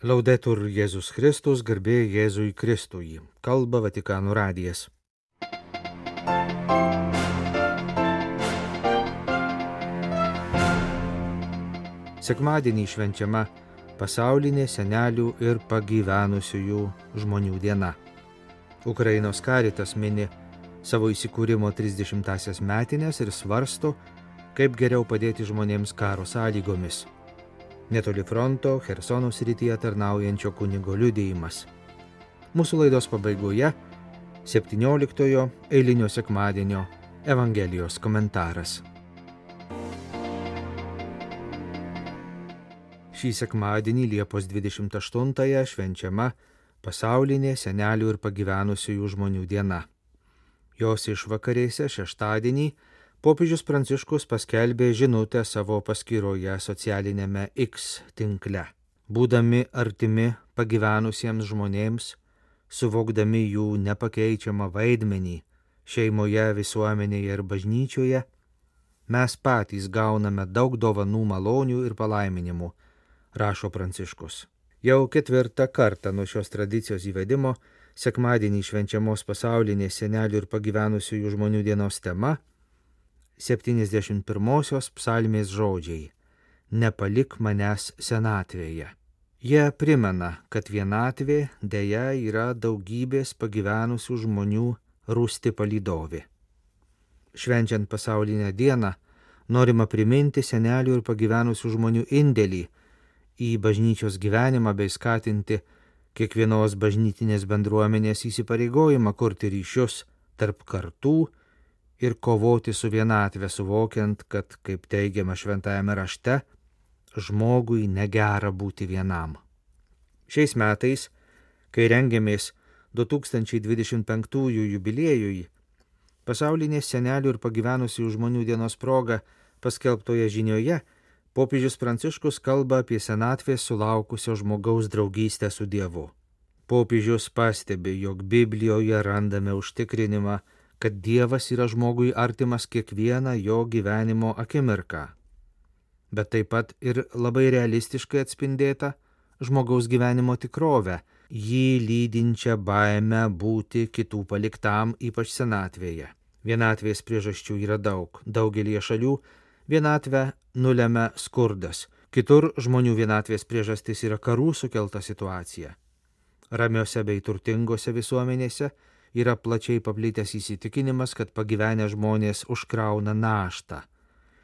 Laudetur Jėzus Kristus, garbė Jėzui Kristui. Kalba Vatikano radijas. Sekmadienį švenčiama pasaulinė senelių ir pagyvenusiųjų žmonių diena. Ukrainos Caritas mini savo įsikūrimo 30-asias metines ir svarsto, kaip geriau padėti žmonėms karo sąlygomis. Netoli fronto Chersono srityje tarnaujančio kunigo liudijimas. Mūsų laidos pabaigoje 17-ojo eilinio sekmadienio Evangelijos komentaras. Šį sekmadienį Liepos 28-ąją švenčiama pasaulinė senelių ir pagyvenusiųjų žmonių diena. Jos išvakarėse šeštadienį popiežius Pranciškus paskelbė žinutę savo paskyroje socialinėme X tinkle. Būdami artimi pagyvenusiems žmonėms, suvokdami jų nepakeičiamą vaidmenį šeimoje, visuomenėje ir bažnyčioje, mes patys gauname daug dovanų, malonių ir palaiminimų, rašo Pranciškus. Jau 4. kartą nuo šios tradicijos įvedimo sekmadienį švenčiamos pasaulinės senelių ir pagyvenusiųjų žmonių dienos tema 71-osios psalmės žodžiai: nepalik manęs senatvėje. Jie primena, kad vienatvė deja yra daugybės pagyvenusių žmonių rūsti palydovė. Švenčiant pasaulinę dieną norima priminti senelių ir pagyvenusių žmonių indėlį į bažnyčios gyvenimą bei skatinti kiekvienos bažnytinės bendruomenės įsipareigojimą kurti ryšius tarp kartų ir kovoti su vienatve, suvokiant, kad, kaip teigiama šventajame rašte, žmogui negera būti vienam. Šiais metais, kai rengiamės 2025 jubiliejui, pasaulinės senelių ir pagyvenusių žmonių dienos proga paskelbtoje žinioje, popiežius Pranciškus kalba apie senatvės sulaukusio žmogaus draugystę su Dievu. Popiežius pastebi, jog Biblijoje randame užtikrinimą, kad Dievas yra žmogui artimas kiekvieną jo gyvenimo akimirką, bet taip pat ir labai realistiškai atspindėta žmogaus gyvenimo tikrovę, jį lydinčią baimę būti kitų paliktam, ypač senatvėje. Vienatvės priežasčių yra daug. Daugelie šalių vienatvę nulemia skurdas. Kitur žmonių vienatvės priežastis yra karų sukelta situacija. Ramiose bei turtingose visuomenėse yra plačiai paplitęs įsitikinimas, kad pagyvenę žmonės užkrauna naštą,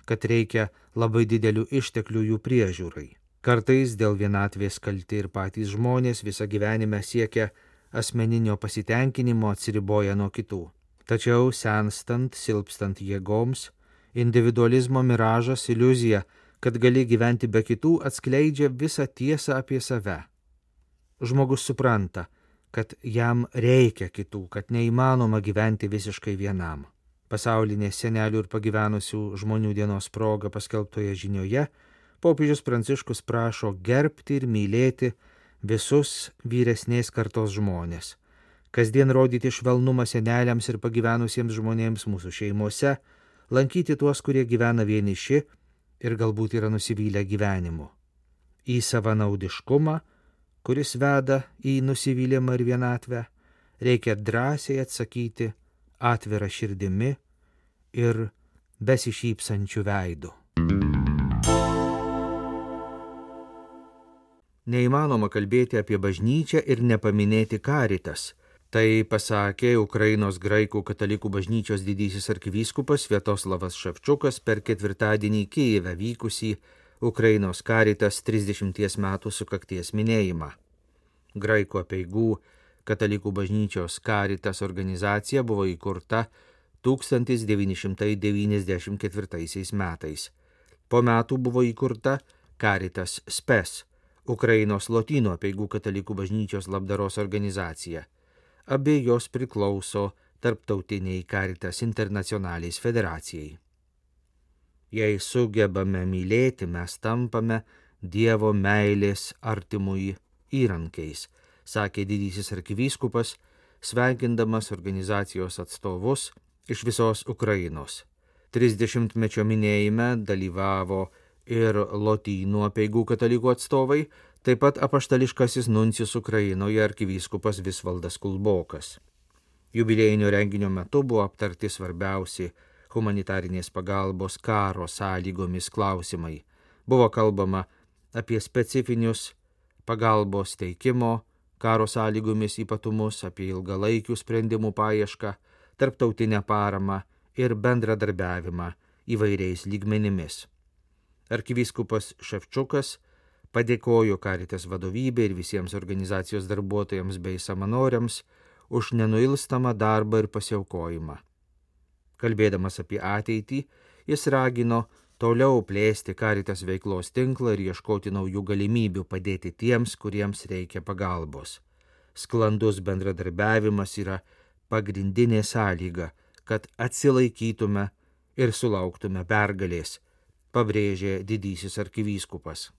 kad reikia labai didelių išteklių jų priežiūrai. Kartais dėl vienatvės kalti ir patys žmonės visą gyvenimą siekia asmeninio pasitenkinimo, atsiriboja nuo kitų. Tačiau senstant, silpstant jėgoms, individualizmo miražas, iliuzija, kad gali gyventi be kitų, atskleidžia visą tiesą apie save. Žmogus supranta, kad jam reikia kitų, kad neįmanoma gyventi visiškai vienam. Pasaulinės senelių ir pagyvenusių žmonių dienos proga paskelbtoje žinioje popiežius Pranciškus prašo gerbti ir mylėti visus vyresnės kartos žmonės, kasdien rodyti švelnumą seneliams ir pagyvenusiems žmonėms mūsų šeimose, lankyti tuos, kurie gyvena vieniši ir galbūt yra nusivylę gyvenimu. Į savanaudiškumą, kuris veda į nusivylimą ir vienatvę, reikia drąsiai atsakyti atvira širdimi ir besišypsančiu veidu. Neįmanoma kalbėti apie bažnyčią ir nepaminėti Caritas. Tai pasakė Ukrainos graikų katalikų bažnyčios didysis arkivyskupas Sviatoslavas Ševčukas per ketvirtadienį Kijeve vykusį Ukrainos Caritas 30 metų sukakties minėjimą. Graikų apeigų katalikų bažnyčios Caritas organizacija buvo įkurta 1994 metais. Po metų buvo įkurta Caritas Spes, Ukrainos lotynų apeigų katalikų bažnyčios labdaros organizacija. Abi jos priklauso Tarptautiniai Caritas Internationalis federacijai. Jei sugebame mylėti, mes tampame Dievo meilės artimui įrankiais, sakė didysis arkivyskupas, sveikindamas organizacijos atstovus iš visos Ukrainos. 30-mečio minėjime dalyvavo ir Lotynų apeigų katalikų atstovai, taip pat apaštališkasis nuncijus Ukrainoje arkivyskupas Visvaldas Kulbokas. Jubiliejinio renginio metu buvo aptarti svarbiausi humanitarinės pagalbos karo sąlygomis klausimai. Buvo kalbama apie specifinius pagalbos teikimo karo sąlygomis ypatumus, apie ilgalaikių sprendimų paiešką, tarptautinę paramą ir bendradarbiavimą įvairiais lygmenimis. Arkivyskupas Ševčiukas padėkojo Caritas vadovybei ir visiems organizacijos darbuotojams bei savanoriams už nenuilstamą darbą ir pasiaukojimą. Kalbėdamas apie ateitį, jis ragino toliau plėsti Caritas veiklos tinklą ir ieškoti naujų galimybių padėti tiems, kuriems reikia pagalbos. Sklandus bendradarbiavimas yra pagrindinė sąlyga, kad atsilaikytume ir sulauktume pergalės, pabrėžė didysis arkivyskupas.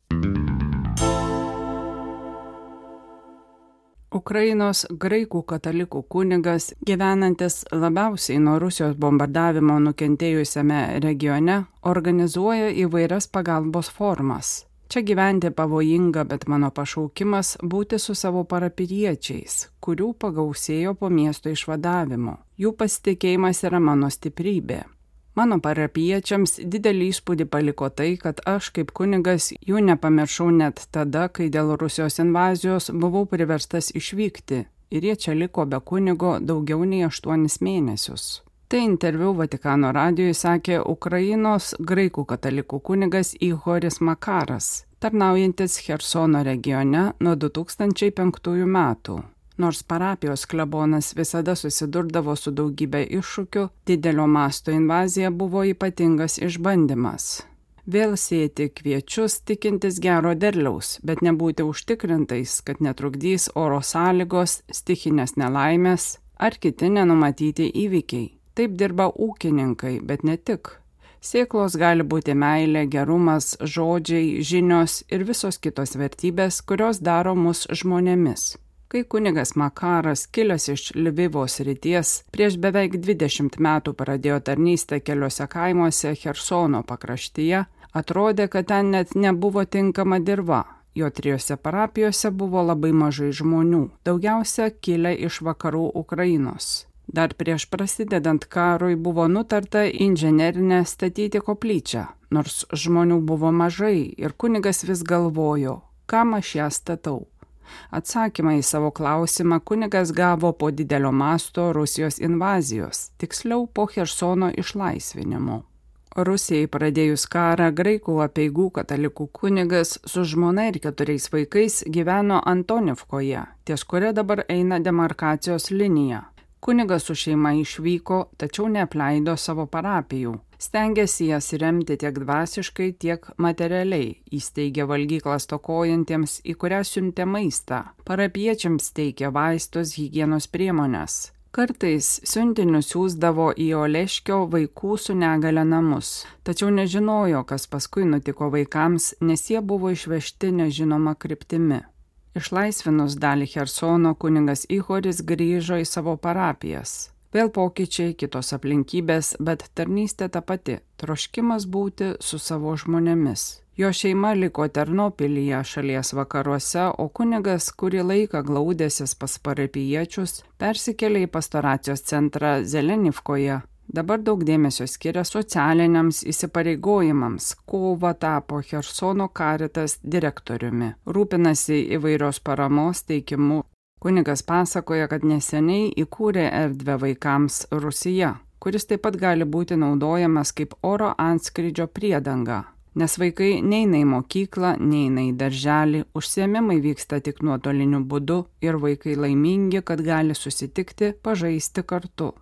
Ukrainos graikų katalikų kunigas, gyvenantis labiausiai nuo Rusijos bombardavimo nukentėjusiame regione, organizuoja įvairias pagalbos formas. Čia gyventi pavojinga, bet mano pašaukimas būti su savo parapijiečiais, kurių pagausėjo po miesto išvadavimo. Jų pasitikėjimas yra mano stiprybė. Mano parapijiečiams didelį įspūdį paliko tai, kad aš kaip kunigas jų nepamiršau net tada, kai dėl Rusijos invazijos buvau priverstas išvykti ir jie čia liko be kunigo daugiau nei 8 mėnesius. Tai interviu Vatikano radijui sakė Ukrainos graikų katalikų kunigas Ihoris Makaras, tarnaujantis Chersono regione nuo 2005 metų. Nors parapijos klebonas visada susidurdavo su daugybė iššūkių, didelio masto invazija buvo ypatingas išbandymas. Vėl sėti kviečius tikintis gero derliaus, bet nebūti užtikrintais, kad netrukdys oro sąlygos, stichinės nelaimės ar kiti nenumatyti įvykiai. Taip dirba ūkininkai, bet ne tik. Sėklos gali būti meilė, gerumas, žodžiai, žinios ir visos kitos vertybės, kurios daro mus žmonėmis. Kai kunigas Makaras, kilęs iš Lvivo srities, prieš beveik 20 metų pradėjo tarnystę keliose kaimuose Chersono pakraštyje, atrodė, kad ten net nebuvo tinkama dirva. Jo 3 parapijose buvo labai mažai žmonių, daugiausia kilę iš vakarų Ukrainos. Dar prieš prasidedant karui buvo nutarta inžinerinę statyti koplyčią, nors žmonių buvo mažai ir kunigas vis galvojo, kam aš ją statau. Atsakymą į savo klausimą kunigas gavo po didelio masto Rusijos invazijos, tiksliau po Chersono išlaisvinimo. Rusijai pradėjus karą, graikų apeigų katalikų kunigas su žmona ir 4 vaikais gyveno Antonivkoje, ties kuria dabar eina demarkacijos linija. Kunigas su šeima išvyko, tačiau neapleido savo parapijų. Stengėsi jas remti tiek dvasiškai, tiek materialiai. Įsteigė valgyklą stokojantiems, į kurią siuntė maistą. Parapiečiams teikė vaistus, higienos priemones. Kartais siuntinius siųsdavo į Oleškio vaikų su negale namus. Tačiau nežinojo, kas paskui nutiko vaikams, nes jie buvo išvežti nežinoma kryptimi. Išlaisvinus dalį Chersono, kunigas Ihoris grįžo į savo parapijas. Vėl pokyčiai, kitos aplinkybės, bet tarnystė ta pati – troškimas būti su savo žmonėmis. Jo šeima liko Ternopilyje šalies vakaruose, o kunigas kurį laiką glaudėsis pas parapijiečius, persikėlė į pastoracijos centrą Zelenivkoje. Dabar daug dėmesio skiria socialiniams įsipareigojimams. Kovą tapo Chersono Caritas direktoriumi. Rūpinasi įvairios paramos teikimu. Kunigas pasakoja, kad neseniai įkūrė erdvę vaikams Rusija, kuris taip pat gali būti naudojamas kaip oro antskrydžio priedanga. Nes vaikai neina į mokyklą, neina į darželį, užsiėmimai vyksta tik nuotoliniu būdu ir vaikai laimingi, kad gali susitikti, pažaisti kartu.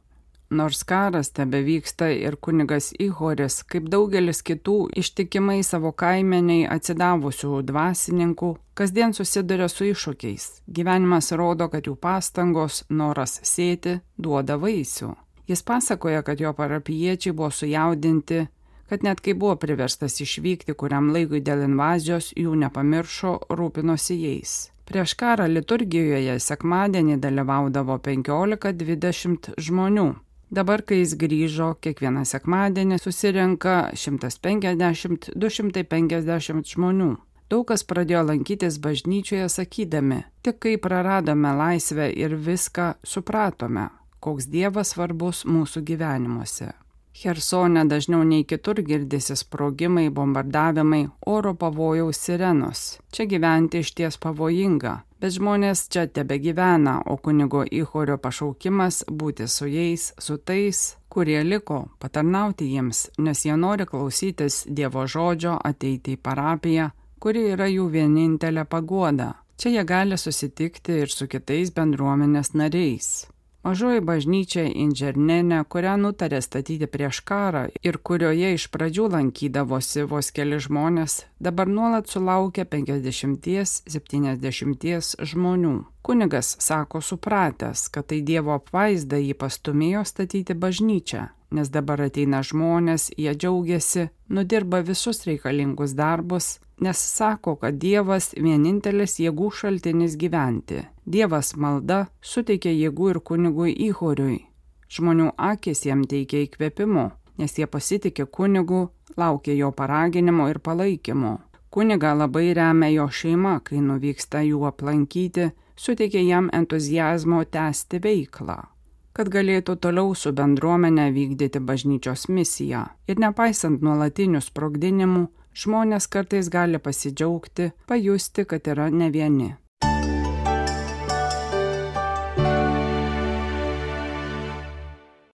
Nors karas tebevyksta ir kunigas Ihoris, kaip daugelis kitų ištikimai savo kaimeniai atsidavusių dvasininkų, kasdien susiduria su iššūkiais. Gyvenimas rodo, kad jų pastangos, noras sėti, duoda vaisių. Jis pasakoja, kad jo parapijiečiai buvo sujaudinti, kad net kai buvo priverstas išvykti kuriam laikui dėl invazijos, jų nepamiršo, rūpinosi jais. Prieš karą liturgijoje sekmadienį dalyvaudavo 15-20 žmonių. Dabar, kai jis grįžo, kiekvieną sekmadienį susirenka 150–250 žmonių. Daug kas pradėjo lankytis bažnyčioje sakydami, tik kai praradome laisvę ir viską supratome, koks Dievas svarbus mūsų gyvenimuose. Chersone dažniau nei kitur girdisi sprogimai, bombardavimai, oro pavojaus sirenos. Čia gyventi išties pavojinga, bet žmonės čia tebegyvena, o kunigo Ihorio pašaukimas būti su jais, su tais, kurie liko, patarnauti jiems, nes jie nori klausytis Dievo žodžio, ateiti į parapiją, kuri yra jų vienintelė paguoda. Čia jie gali susitikti ir su kitais bendruomenės nariais. Mažoji bažnyčia Indžernene, kurią nutarė statyti prieš karą ir kurioje iš pradžių lankydavosi vos keli žmonės, dabar nuolat sulaukia 50–70 žmonių. Kunigas sako supratęs, kad tai Dievo apvaizda jį pastūmėjo statyti bažnyčią, nes dabar ateina žmonės, jie džiaugiasi, nudirba visus reikalingus darbus, nes sako, kad Dievas vienintelis jėgų šaltinis gyventi. Dievas malda suteikia jėgų ir kunigui Ihoriui. Žmonių akis jam teikia įkvėpimo, nes jie pasitikė kunigu, laukia jo paraginimo ir palaikymo. Kunigą labai remia jo šeima, kai nuvyksta jų aplankyti, suteikia jam entuziazmo tęsti veiklą, kad galėtų toliau su bendruomenė vykdyti bažnyčios misiją. Ir nepaisant nuolatinių sprogdinimų, žmonės kartais gali pasidžiaugti, pajusti, kad yra ne vieni.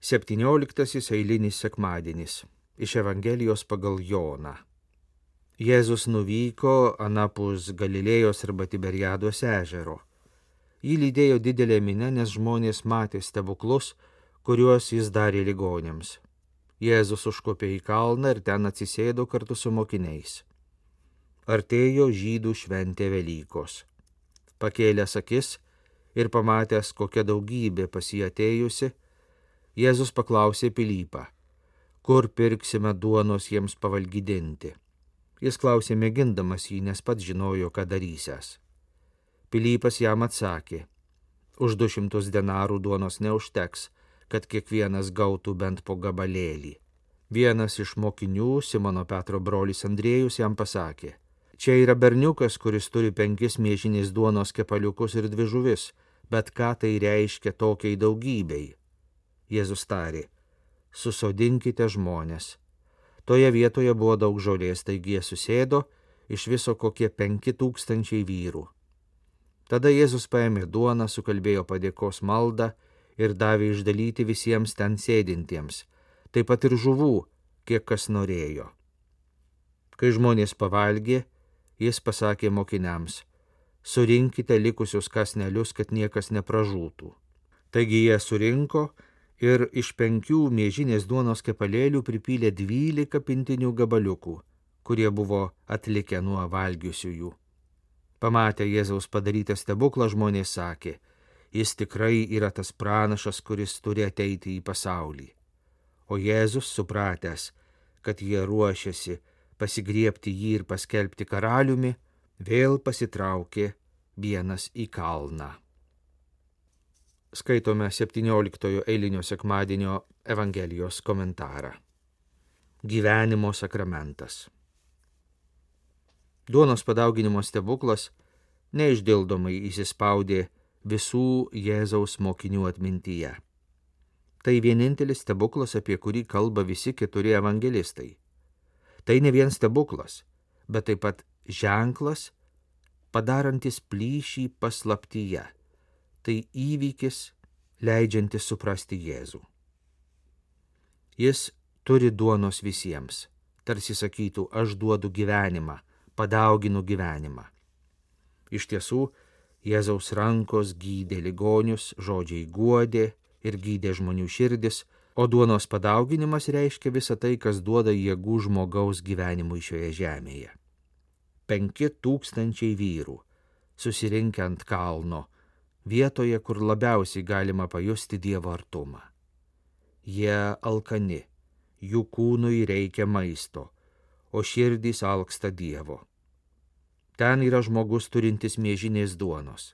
Septynioliktasis eilinis sekmadienis iš Evangelijos pagal Joną. Jėzus nuvyko anapus Galilėjos arba Tiberiados ežero. Jį lydėjo didelė minia, nes žmonės matė stebuklus, kuriuos jis darė ligoniams. Jėzus užkopė į kalną ir ten atsisėdo kartu su mokiniais. Artėjo žydų šventė Velykos. Pakėlęs akis ir pamatęs, kokia daugybė pas jį atėjusi, Jėzus paklausė Pilypą, kur pirksime duonos jiems pavalgydinti. Jis klausė mėgindamas jį, nes pats žinojo, ką darysęs. Pilypas jam atsakė, už 200 denarų duonos neužteks, kad kiekvienas gautų bent po gabalėlį. Vienas iš mokinių, Simono Petro brolis Andriejus, jam pasakė, čia yra berniukas, kuris turi 5 miežinės duonos kepaliukus ir 2 žuvis, bet ką tai reiškia tokiai daugybei? Jėzus tarė, susodinkite žmonės. Toje vietoje buvo daug žolės, taigi jie susėdo, iš viso kokie 5000 vyrų. Tada Jėzus paėmė duoną, sukalbėjo padėkos maldą ir davė išdalyti visiems ten sėdintiems, taip pat ir žuvų, kiek kas norėjo. Kai žmonės pavalgė, jis pasakė mokiniams, surinkite likusius kąsnelius, kad niekas nepražūtų. Taigi jie surinko ir iš 5 miežinės duonos kepalėlių pripylė 12 pintinių gabaliukų, kurie buvo atlikę nuo valgiusiųjų. Pamatę Jėzaus padarytą stebuklą, žmonės sakė, jis tikrai yra tas pranašas, kuris turi ateiti į pasaulį. O Jėzus, supratęs, kad jie ruošiasi pasigriebti jį ir paskelbti karaliumi, vėl pasitraukė vienas į kalną. Skaitome 17 eilinio sekmadienio Evangelijos komentarą. Gyvenimo sakramentas. Duonos padauginimo stebuklas neišdildomai įsispaudė visų Jėzaus mokinių atmintyje. Tai vienintelis stebuklas, apie kurį kalba visi 4 evangelistai. Tai ne vien stebuklas, bet taip pat ženklas, padarantis plyšį paslaptyje. Tai įvykis, leidžiantis suprasti Jėzų. Jis turi duonos visiems, tarsi sakytų, aš duodu gyvenimą, padauginu gyvenimą. Iš tiesų, Jėzaus rankos gydė ligonius, žodžiai guodė ir gydė žmonių širdis, o duonos padauginimas reiškia visą tai, kas duoda jėgų žmogaus gyvenimui šioje žemėje. 5000 vyrų, susirinkę ant kalno, vietoje, kur labiausiai galima pajusti Dievo artumą. Jie alkani, jų kūnui reikia maisto, o širdys alksta Dievo. Ten yra žmogus turintis miežinės duonos.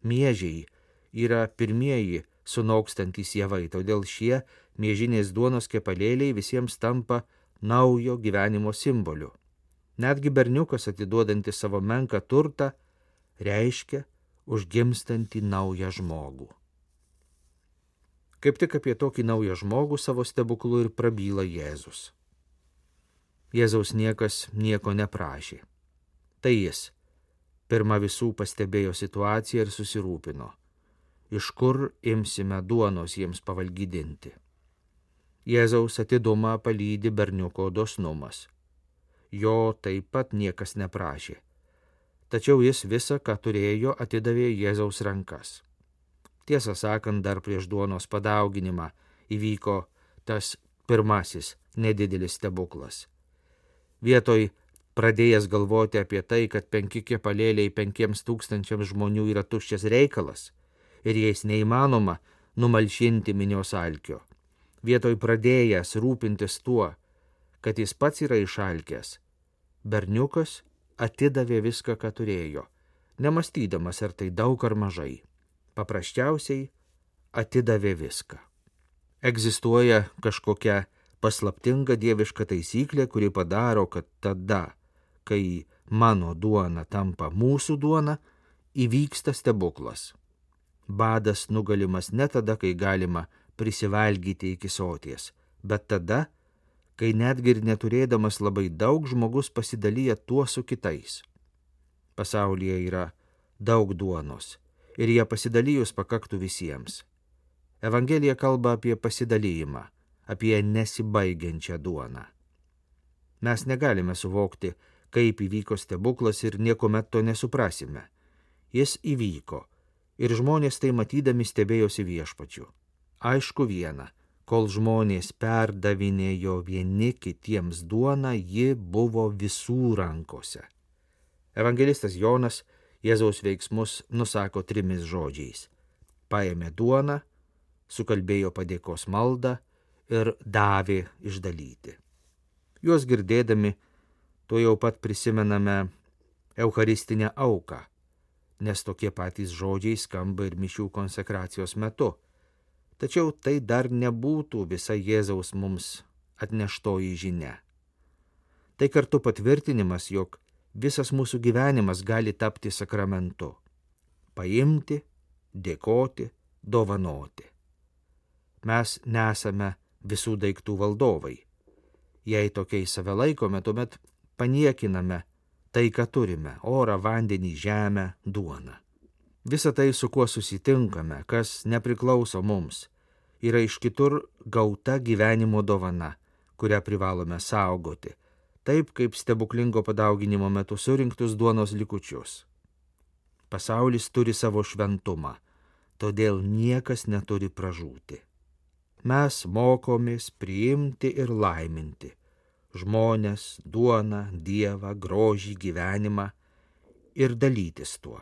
Miežiai yra pirmieji sunokstantys javai, todėl šie Miežinės duonos kepalėliai visiems tampa naujo gyvenimo simboliu. Netgi berniukas atiduodantis savo menką turtą reiškia užgimstantį naują žmogų. Kaip tik apie tokį naują žmogų savo stebuklu ir prabyla Jėzus. Jėzaus niekas nieko neprašė. Tai jis pirma visų pastebėjo situaciją ir susirūpino, iš kur imsime duonos jiems pavalgydinti. Jėzaus atidumą palydi berniuko dosnumas. Jo taip pat niekas neprašė, tačiau jis visą, ką turėjo, atidavė Jėzaus rankas. Tiesą sakant, dar prieš duonos padauginimą įvyko tas pirmasis nedidelis stebuklas. Vietoj pradėjęs galvoti apie tai, kad 5 kepalėliai 5,000 žmonių yra tuščias reikalas ir jais neįmanoma numalšinti minios alkio. Vietoj pradėjęs rūpintis tuo, kad jis pats yra išalkęs, berniukas atidavė viską, ką turėjo, nemąstydamas, ar tai daug ar mažai. Paprasčiausiai atidavė viską. Egzistuoja kažkokia paslaptinga dieviška taisyklė, kuri padaro, kad tada, kai mano duona tampa mūsų duona, įvyksta stebuklas. Badas nugalimas ne tada, kai galima prisivalgyti iki soties, bet tada, kai netgi ir neturėdamas labai daug žmogus pasidalyja tuo su kitais. Pasaulyje yra daug duonos ir ją pasidalijus pakaktų visiems. Evangelija kalba apie pasidalijimą, apie nesibaigiančią duoną. Mes negalime suvokti, kaip įvyko stebuklas ir niekuomet to nesuprasime. Jis įvyko ir žmonės tai matydami stebėjosi Viešpačiu. Aišku viena, kol žmonės perdavinėjo vieni kitiems duoną, ji buvo visų rankose. Evangelistas Jonas Jėzaus veiksmus nusako 3 žodžiais. Paėmė duoną, sukalbėjo padėkos maldą ir davė išdalyti. Juos girdėdami, to jau pat prisimename eucharistinę auką, nes tokie patys žodžiai skamba ir mišių konsekracijos metu. Tačiau tai dar nebūtų visa Jėzaus mums atneštoji žinia. Tai kartu patvirtinimas, jog visas mūsų gyvenimas gali tapti sakramentu. Paimti, dėkoti, dovanoti. Mes nesame visų daiktų valdovai. Jei tokiais save laikome, tuomet paniekiname tai, ką turime – orą, vandenį, žemę, duoną. Visa tai, su kuo susitinkame, kas nepriklauso mums, yra iš kitur gauta gyvenimo dovana, kurią privalome saugoti, taip kaip stebuklingo padauginimo metu surinktus duonos likučius. Pasaulis turi savo šventumą, todėl niekas neturi pražūti. Mes mokomės priimti ir laiminti žmones, duoną, Dievą, grožį, gyvenimą ir dalytis tuo.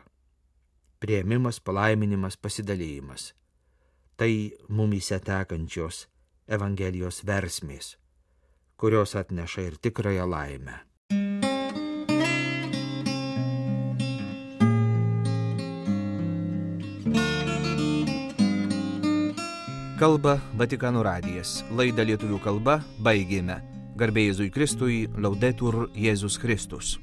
Priėmimas, palaiminimas, pasidalėjimas. Tai mumyse tekančios Evangelijos versmės, kurios atneša ir tikrąją laimę. Kalba Vatikano radijas. Laidą lietuvių kalba baigėme. Garbė Jėzui Kristui, Laudetur Jėzus Kristus.